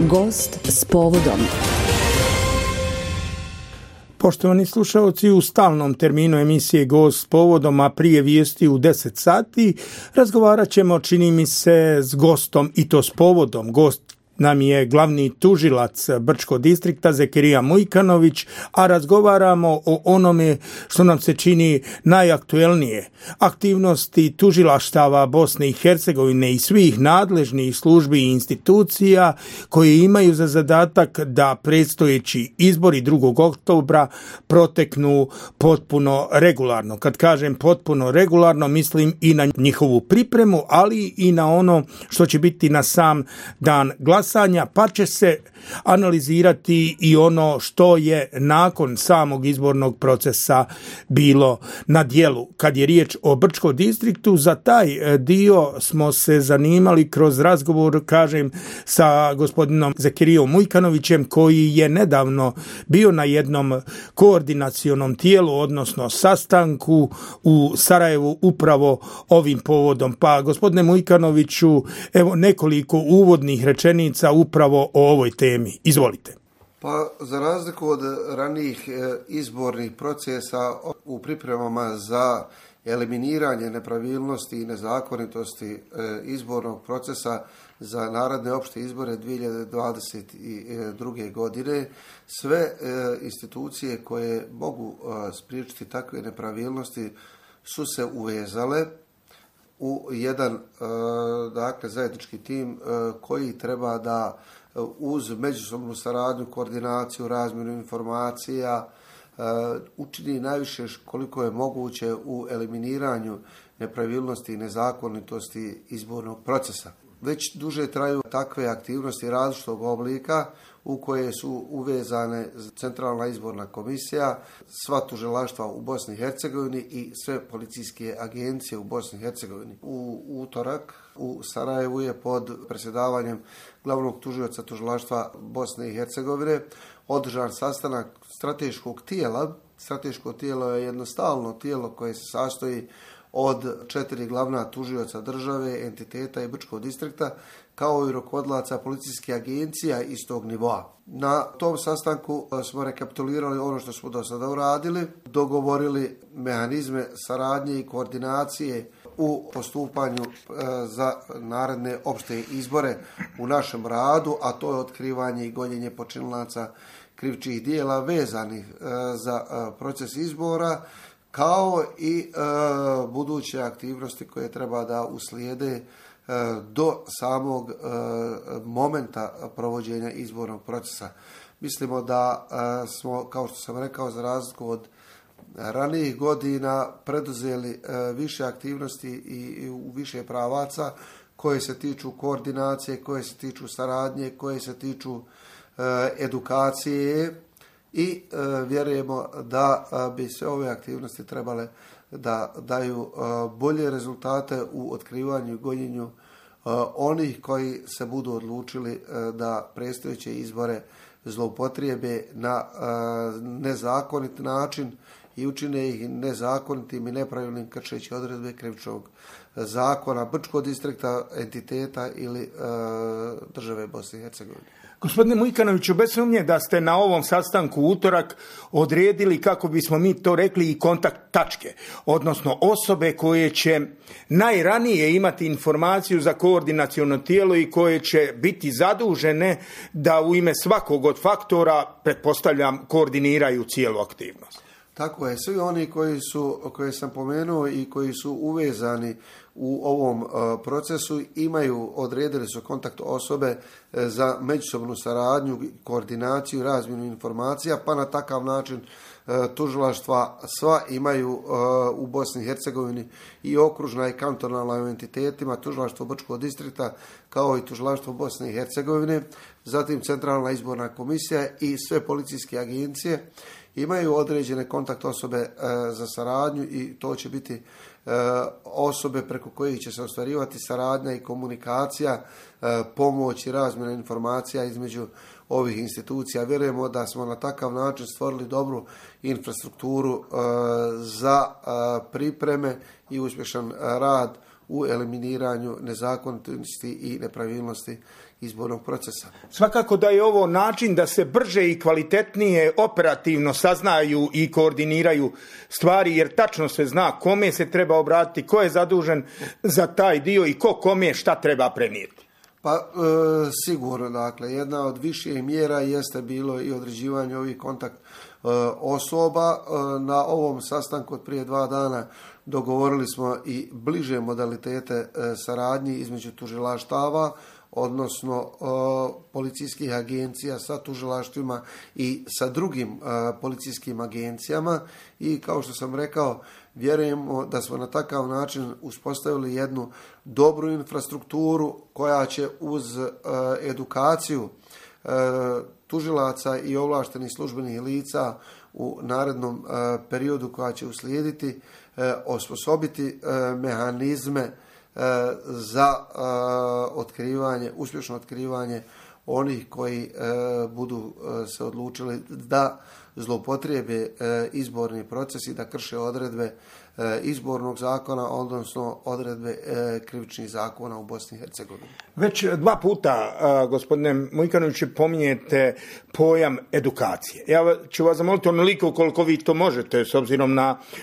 Gost s povodom. Poštovani slušalci, u stalnom terminu emisije Gost s povodom, a prije vijesti u 10 sati, razgovarat ćemo, čini mi se, s gostom i to s povodom. Gost nam je glavni tužilac Brčkog distrikta Zekirija Mujkanović, a razgovaramo o onome što nam se čini najaktuelnije. Aktivnosti tužilaštava Bosne i Hercegovine i svih nadležnih službi i institucija koje imaju za zadatak da predstojeći izbori 2. oktobra proteknu potpuno regularno. Kad kažem potpuno regularno, mislim i na njihovu pripremu, ali i na ono što će biti na sam dan glasanja, pa će se analizirati i ono što je nakon samog izbornog procesa bilo na djelu. Kad je riječ o Brčkom distriktu, za taj dio smo se zanimali kroz razgovor, sa gospodinom Zekirijom Mujkanovićem, koji je nedavno bio na jednom koordinacionom tijelu, odnosno sastanku u Sarajevu upravo ovim povodom. Pa, gospodine Mujkanoviću, evo nekoliko uvodnih rečenica upravo o ovoj temi. Izvolite. Pa, za razliku od ranijih izbornih procesa u pripremama za eliminiranje nepravilnosti i nezakonitosti izbornog procesa za naredne opšte izbore 2022. godine, sve institucije koje mogu spriječiti takve nepravilnosti su se uvezale u jedan zajednički tim koji treba da uz međusobnu saradnju, koordinaciju, razmjenu informacija učini najviše koliko je moguće u eliminiranju nepravilnosti i nezakonitosti izbornog procesa. Već duže traju takve aktivnosti različitog oblika u koje su uvezane Centralna izborna komisija, sva tužilaštva u Bosni i Hercegovini i sve policijske agencije u Bosni i Hercegovini. U utorak u Sarajevu je pod predsjedavanjem glavnog tužioca tužilaštva Bosne i Hercegovine održan sastanak strateškog tijela. Strateško tijelo je jedno stalno tijelo koje se sastoji od 4 glavna tužioca države, entiteta i Brčkog distrikta, kao i rukovodilaca policijskih agencija istog nivoa. Na tom sastanku smo rekapitulirali ono što smo do sada uradili, dogovorili mehanizme saradnje i koordinacije u postupanju za naredne opšte izbore u našem radu, a to je otkrivanje i gonjenje počinilaca krivičnih dijela vezanih za proces izbora, kao i buduće aktivnosti koje treba da uslijede do samog momenta provođenja izbornog procesa. Mislimo da smo, kao što sam rekao, za razliku od ranijih godina preduzeli više aktivnosti i u više pravaca koje se tiču koordinacije, koje se tiču saradnje, koje se tiču edukacije i vjerujemo da bi sve ove aktivnosti trebale da daju bolje rezultate u otkrivanju i gonjenju onih koji se budu odlučili da predstojeće izbore zloupotrijebe na nezakonit način i učine ih nezakonitim i nepravilnim kršeći odredbe krivičnog zakona Brčkog distrikta, entiteta ili države Bosne i Hercegovine. Gospodine Mujkanoviću, bez sumnje da ste na ovom sastanku u utorak odredili, kako bismo mi to rekli, i kontakt tačke, odnosno osobe koje će najranije imati informaciju za koordinaciono tijelo i koje će biti zadužene da u ime svakog od faktora, pretpostavljam, koordiniraju cijelu aktivnost. Tako je, svi oni koje sam pomenuo i koji su uvezani u ovom procesu odredili su kontakt osobe za međusobnu saradnju, koordinaciju, razmjenu informacija, pa na takav način tužilaštva sva imaju u Bosni i Hercegovini i okružna i kantonalna u entitetima, tužilaštvo Brčkog distrikta kao i tužilaštvo Bosne i Hercegovine, zatim Centralna izborna komisija i sve policijske agencije imaju određene kontakt osobe za saradnju i to će biti osobe preko kojih će se ostvarivati saradnja i komunikacija, pomoć i razmjena informacija između ovih institucija. Vjerujemo da smo na takav način stvorili dobru infrastrukturu za pripreme i uspješan rad u eliminiranju nezakonitosti i nepravilnosti izbornog procesa. Svakako da je ovo način da se brže i kvalitetnije operativno saznaju i koordiniraju stvari, jer tačno se zna kome se treba obratiti, ko je zadužen za taj dio i ko kome šta treba prenijeti. Pa sigurno, dakle, jedna od viših mjera jeste bilo i određivanje ovih kontakt osoba. Na ovom sastanku od prije 2 dana dogovorili smo i bliže modalitete saradnji između tužilaštava, odnosno policijskih agencija sa tužilaštvima i sa drugim policijskim agencijama, i kao što sam rekao, vjerujemo da smo na takav način uspostavili jednu dobru infrastrukturu koja će uz edukaciju tužilaca i ovlaštenih službenih lica u narednom periodu koja će uslijediti osposobiti mehanizme za uspješno otkrivanje onih koji budu se odlučili da zloupotrijebe izborni proces i da krše odredbe izbornog zakona, odnosno odredbe krivičnih zakona u Bosni i Hercegovini. Već 2 puta, gospodine Mujkanoviću, pominjete pojam edukacije. Ja ću vas zamoliti onoliko koliko vi to možete, s obzirom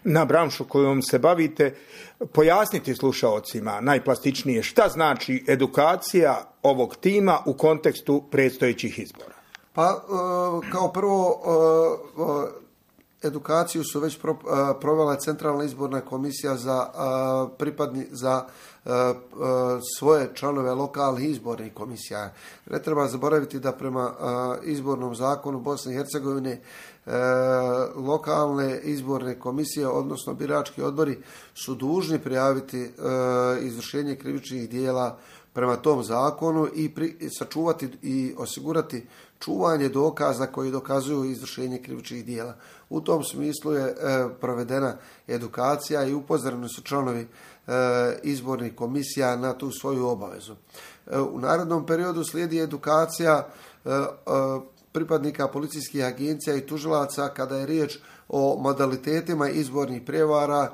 na branšu kojom se bavite, pojasniti slušaocima najplastičnije šta znači edukacija ovog tima u kontekstu predstojećih izbora. Pa, kao prvo, edukaciju su već provela Centralna izborna komisija za svoje članove lokalnih izbornih komisija. Ne treba zaboraviti da prema izbornom zakonu Bosne i Hercegovine lokalne izborne komisije, odnosno birački odbori, su dužni prijaviti izvršenje krivičnih dijela prema tom zakonu i sačuvati i osigurati čuvanje dokaza koji dokazuju izvršenje krivičnih dijela. U tom smislu je provedena edukacija i upozoreni su članovi izbornih komisija na tu svoju obavezu. U narednom periodu slijedi edukacija pripadnika policijskih agencija i tužilaca kada je riječ o modalitetima izbornih prijevara,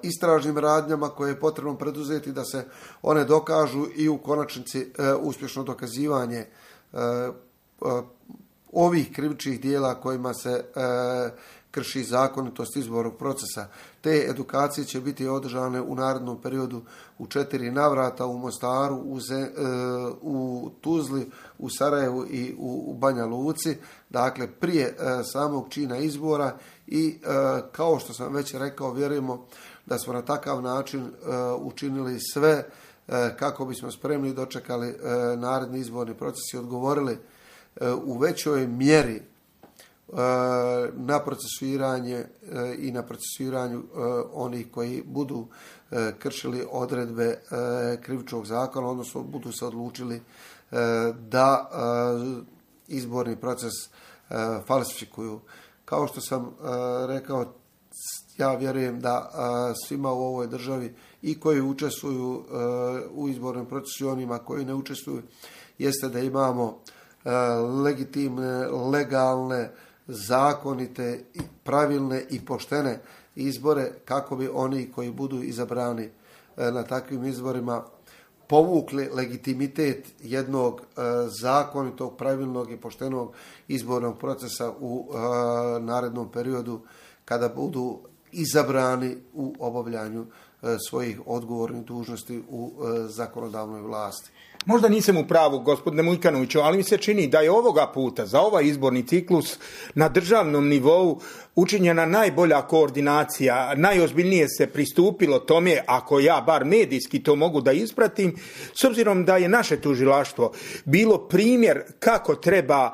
istražnim radnjama koje je potrebno preduzeti da se one dokažu i u konačnici uspješno dokazivanje ovih krivičnih dijela kojima se krši zakonitost izbornog procesa. Te edukacije će biti održane u narednom periodu u 4 navrata u Mostaru, u Tuzli, u Sarajevu i u Banja Luci, dakle prije samog čina izbora, i kao što sam već rekao, vjerujemo da smo na takav način učinili sve kako bismo spremni dočekali naredni izborni proces i odgovorili u većoj mjeri na procesuiranje i na procesuiranju onih koji budu kršili odredbe krivičnog zakona, odnosno budu se odlučili da izborni proces falsifikuju. Kao što sam rekao, ja vjerujem da svima u ovoj državi, i koji učestvuju u izbornom procesu i onima koji ne učestvuju, jeste da imamo legitimne, legalne, zakonite, pravilne i poštene izbore, kako bi oni koji budu izabrani na takvim izborima povukli legitimitet jednog zakonitog, pravilnog i poštenog izbornog procesa u narednom periodu kada budu izabrani u obavljanju svojih odgovornih dužnosti u zakonodavnoj vlasti. Možda nisam u pravu, gospodine Mujkanoviću, ali mi se čini da je ovoga puta za ovaj izborni ciklus na državnom nivou učinjena najbolja koordinacija, najozbiljnije se pristupilo tome, ako ja bar medijski to mogu da ispratim, s obzirom da je naše tužilaštvo bilo primjer kako treba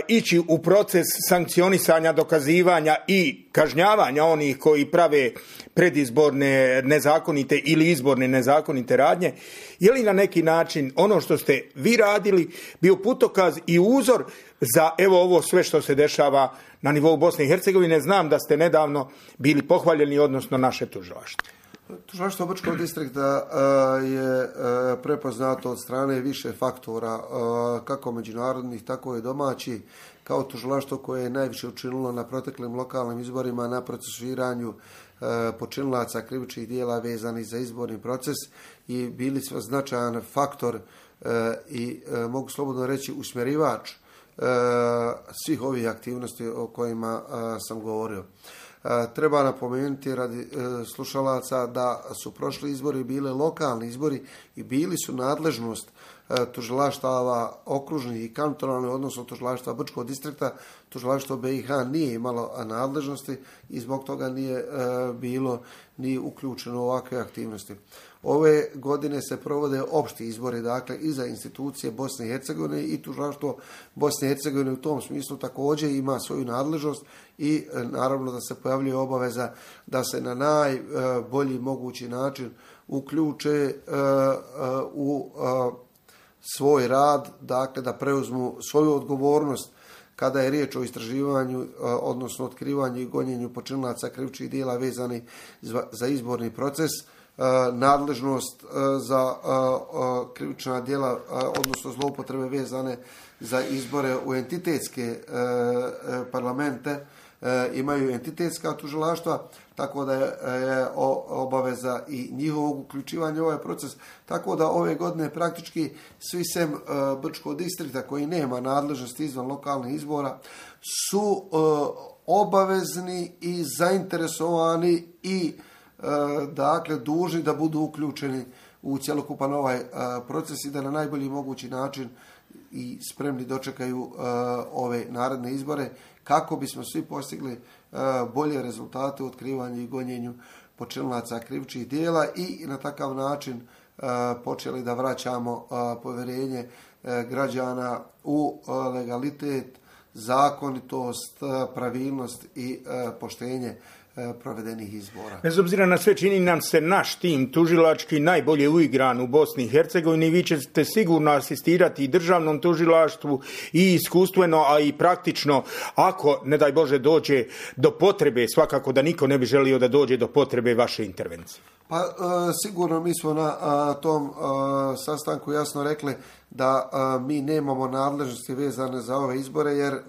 ići u proces sankcionisanja, dokazivanja i kažnjavanja onih koji prave predizborne nezakonite ili izborne nezakonite radnje. Je li na neki način ono što ste vi radili bio putokaz i uzor za evo ovo sve što se dešava na nivou Bosne i Hercegovine? Znam da ste nedavno bili pohvaljeni, odnosno naše tužilaštvo. Tužilaštvo Brčkog distrikta je prepoznato od strane više faktora, kako međunarodnih, tako i domaćih, kao tužilaštvo koje je najviše učinilo na proteklim lokalnim izborima na procesuiranju počinilaca krivičnih djela vezanih za izborni proces i bili smo značajan faktor i mogu slobodno reći usmjerivač svih ovih aktivnosti o kojima sam govorio. Treba napomenuti radi slušalaca da su prošli izbori bili lokalni izbori i bili su nadležnost tužilaštava okružnih i kantonalnih, odnosno tužilaštva Brčkog distrikta. Tužilaštvo BiH nije imalo nadležnosti i zbog toga nije bilo ni uključeno u ovakve aktivnosti. Ove godine se provode opšti izbori, dakle i za institucije Bosne i Hercegovine i tužilaštvo Bosne i Hercegovine u tom smislu također ima svoju nadležnost i naravno da se pojavljuje obaveza da se na najbolji mogući način uključe u svoj rad, dakle da preuzmu svoju odgovornost kada je riječ o istraživanju, odnosno otkrivanju i gonjenju počinilaca krivičnih djela vezanih za izborni proces, nadležnost za krivična djela, odnosno zloupotrebe vezane za izbore u entitetske parlamente, imaju entitetska tužilaštva, tako da je obaveza i njihovog uključivanja u ovaj proces. Tako da ove godine praktički svi sem Brčkog distrikta koji nema nadležnosti izvan lokalnih izbora su obavezni i zainteresovani i dakle dužni da budu uključeni u cjelokupan ovaj proces i da na najbolji mogući način i spremni dočekaju ove naredne izbore kako bismo svi postigli bolje rezultate u otkrivanju i gonjenju počinilaca krivičnih djela i na takav način počeli da vraćamo povjerenje građana u legalitet, zakonitost, pravilnost i poštenje provedenih izbora. Bez obzira na sve čini nam se naš tim tužilački najbolje uigran u Bosni i Hercegovini. Vi ćete sigurno asistirati i državnom tužilaštvu i iskustveno, a i praktično ako, ne daj Bože, dođe do potrebe, svakako da niko ne bi želio da dođe do potrebe vaše intervencije. Pa sigurno mi smo na tom sastanku jasno rekli da mi nemamo nadležnosti vezane za ove izbore jer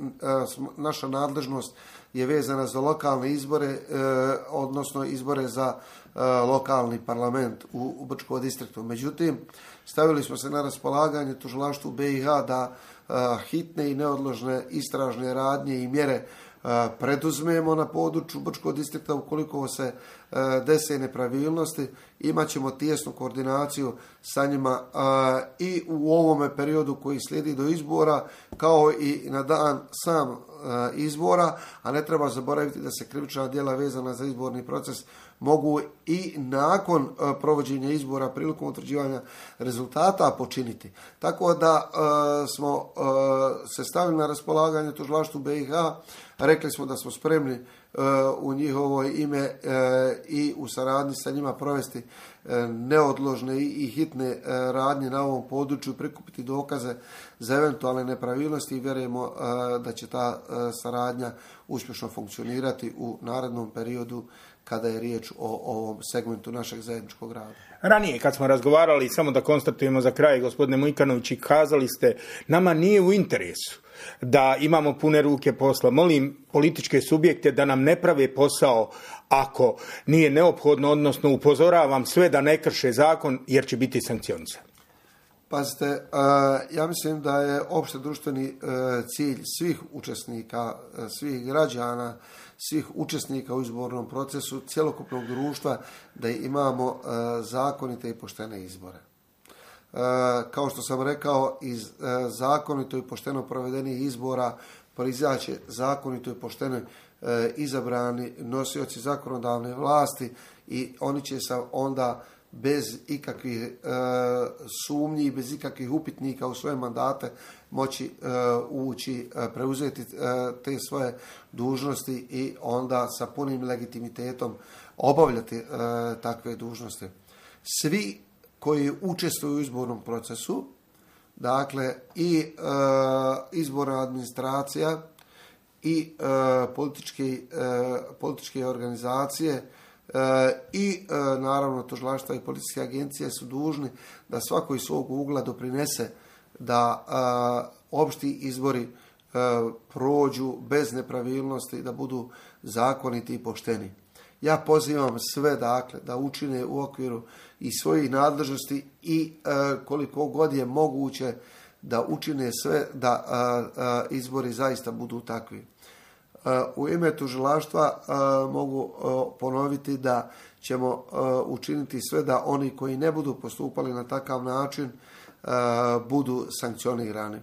naša nadležnost je vezana za lokalne izbore, odnosno izbore za lokalni parlament u Brčkom distriktu. Međutim, stavili smo se na raspolaganje tužilaštvu BiH da hitne i neodložne istražne radnje i mjere preduzmemo na području Brčkog distrikta ukoliko se dese nepravilnosti. Imaćemo tijesnu koordinaciju sa njima i u ovome periodu koji slijedi do izbora kao i na dan sam izbora, a ne treba zaboraviti da se krivična djela vezana za izborni proces mogu i nakon provođenja izbora prilikom utvrđivanja rezultata počiniti. Tako da smo se stavili na raspolaganje tužilaštvu BiH, rekli smo da smo spremni u njihovo ime i u saradnji sa njima provesti neodložne i hitne radnje na ovom području, prikupiti dokaze za eventualne nepravilnosti i vjerujemo da će ta saradnja uspješno funkcionirati u narednom periodu kada je riječ o ovom segmentu našeg zajedničkog rada. Ranije kad smo razgovarali, samo da konstatujemo za kraj, gospodine Mujkanović, kazali ste nama nije u interesu da imamo pune ruke posla. Molim političke subjekte da nam ne prave posao ako nije neophodno, odnosno upozoravam sve da ne krše zakon jer će biti sankcionisan. Pazite, ja mislim da je opšte društveni cilj svih učesnika, svih građana, svih učesnika u izbornom procesu, cjelokupnog društva, da imamo zakonite i poštene izbore. Kao što sam rekao, iz zakonito i pošteno provedenih izbora proizaći zakonito i pošteno izabrani nosioci zakonodavne vlasti i oni će se onda bez ikakvih sumnji i bez ikakvih upitnika u svoje mandate moći ući, preuzeti te svoje dužnosti i onda sa punim legitimitetom obavljati takve dužnosti. Svi koji učestvuju u izbornom procesu, dakle i izborna administracija i političke organizacije i naravno tužilaštva i policijske agencije su dužni da svako iz svog ugla doprinese da opšti izbori prođu bez nepravilnosti, da budu zakoniti i pošteni. Ja pozivam sve dakle da učine u okviru i svojih nadležnosti i koliko god je moguće da učine sve da izbori zaista budu takvi. U ime tužilaštva mogu ponoviti da ćemo učiniti sve da oni koji ne budu postupali na takav način budu sankcionirani.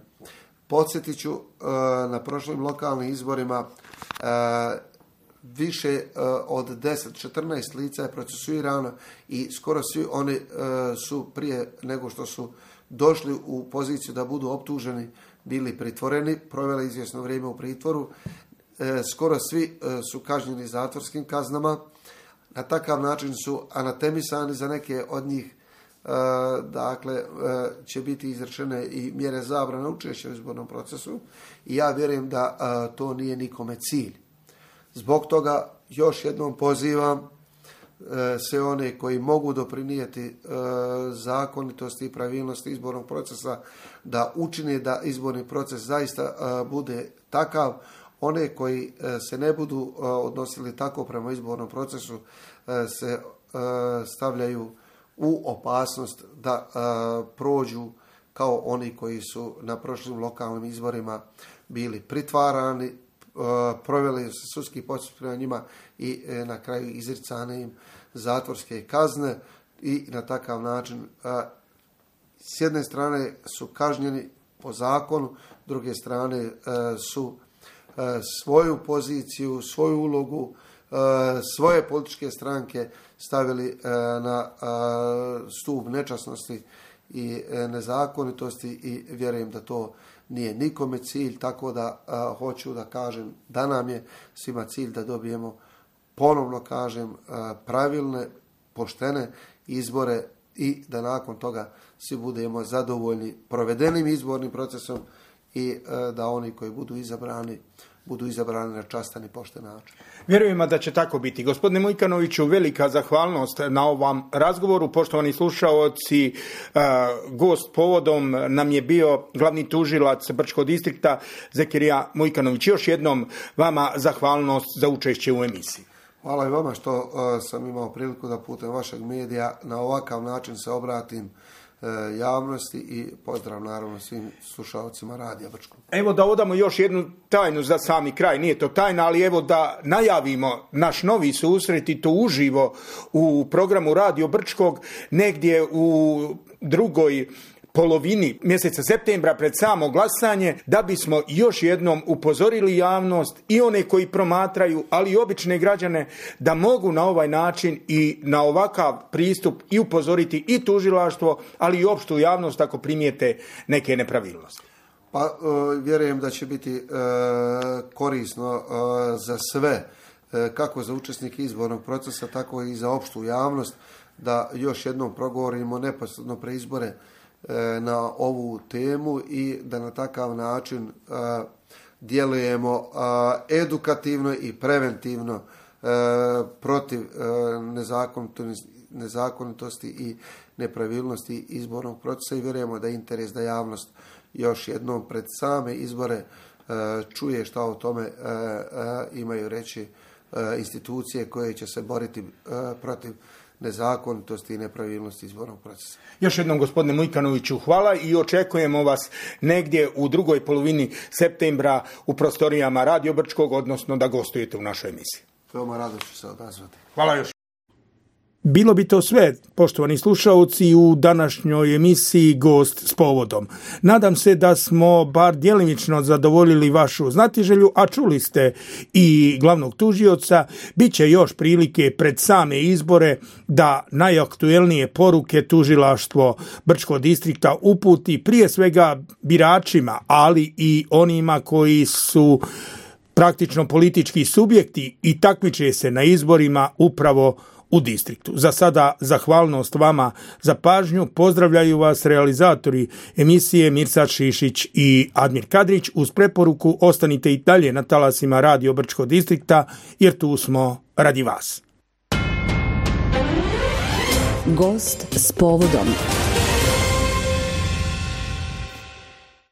Podsjetit ću, na prošlim lokalnim izborima više od 10-14 lica je procesuirano i skoro svi oni su prije nego što su došli u poziciju da budu optuženi bili pritvoreni, proveli izvjesno vrijeme u pritvoru. Skoro svi su kažnjeni zatvorskim kaznama. Na takav način su anatemisani, za neke od njih dakle će biti izrečene i mjere zabrane učešća u izbornom procesu i ja vjerujem da to nije nikome cilj. Zbog toga još jednom pozivam sve one koji mogu doprinijeti zakonitosti i pravilnosti izbornog procesa da učine da izborni proces zaista bude takav. One koji se ne budu odnosili tako prema izbornom procesu se stavljaju u opasnost da prođu kao oni koji su na prošlim lokalnim izborima bili pritvarani, proveli sudski postupak prema njima i na kraju izricane im zatvorske kazne i na takav način s jedne strane su kažnjeni po zakonu, s druge strane su svoju poziciju, svoju ulogu, svoje političke stranke stavili na stup nečasnosti i nezakonitosti i vjerujem da to nije nikome cilj, tako da hoću da kažem da nam je svima cilj da dobijemo, ponovno kažem, pravilne, poštene izbore i da nakon toga svi budemo zadovoljni provedenim izbornim procesom i da oni koji budu izabrani na častan i pošten način. Vjerujemo da će tako biti. Gospodine Mujkanoviću, velika zahvalnost na ovom razgovoru. Poštovani slušaoci, gost povodom nam je bio glavni tužilac Brčkog distrikta Zekirija Mujkanović. Još jednom vama zahvalnost za učešće u emisiji. Hvala i vama što sam imao priliku da putem vašeg medija na ovakav način se obratim javnosti i pozdrav naravno svim slušalcima Radija Brčkog. Evo da odamo još jednu tajnu za sami kraj, nije to tajna, ali evo da najavimo naš novi susret i to uživo u programu Radio Brčkog negdje u drugoj polovini mjeseca septembra pred samo glasanje, da bismo još jednom upozorili javnost i one koji promatraju, ali i obične građane da mogu na ovaj način i na ovakav pristup i upozoriti i tužilaštvo, ali i opštu javnost ako primijete neke nepravilnosti. Pa vjerujem da će biti korisno za sve, kako za učesnike izbornog procesa, tako i za opštu javnost, da još jednom progovorimo neposredno pre izbore na ovu temu i da na takav način djelujemo edukativno i preventivno protiv nezakonitosti i nepravilnosti izbornog procesa i vjerujemo da je interes da javnost još jednom pred same izbore čuje šta o tome imaju reći institucije koje će se boriti protiv nezakonitosti i nepravilnosti izbornog procesa. Još jednom, gospodine Mujkanoviću, hvala i očekujemo vas negdje u drugoj polovini septembra u prostorijama Radio Brčkog, odnosno da gostujete u našoj emisiji. Veoma rado ću se odazvati. Hvala još. Bilo bi to sve, poštovani slušaoci, u današnjoj emisiji Gost s povodom. Nadam se da smo bar djelimično zadovoljili vašu znatiželju, a čuli ste i glavnog tužioca. Biće još prilike pred same izbore da najaktuelnije poruke tužilaštvo Brčkog distrikta uputi prije svega biračima, ali i onima koji su praktično politički subjekti i takmiče se na izborima upravo u distriktu. Za sada zahvalnost vama za pažnju. Pozdravljaju vas realizatori emisije Mirsad Šišić i Admir Kadrić uz preporuku ostanite i dalje na talasima Radio Brčkog distrikta jer tu smo radi vas. Gost s povodom.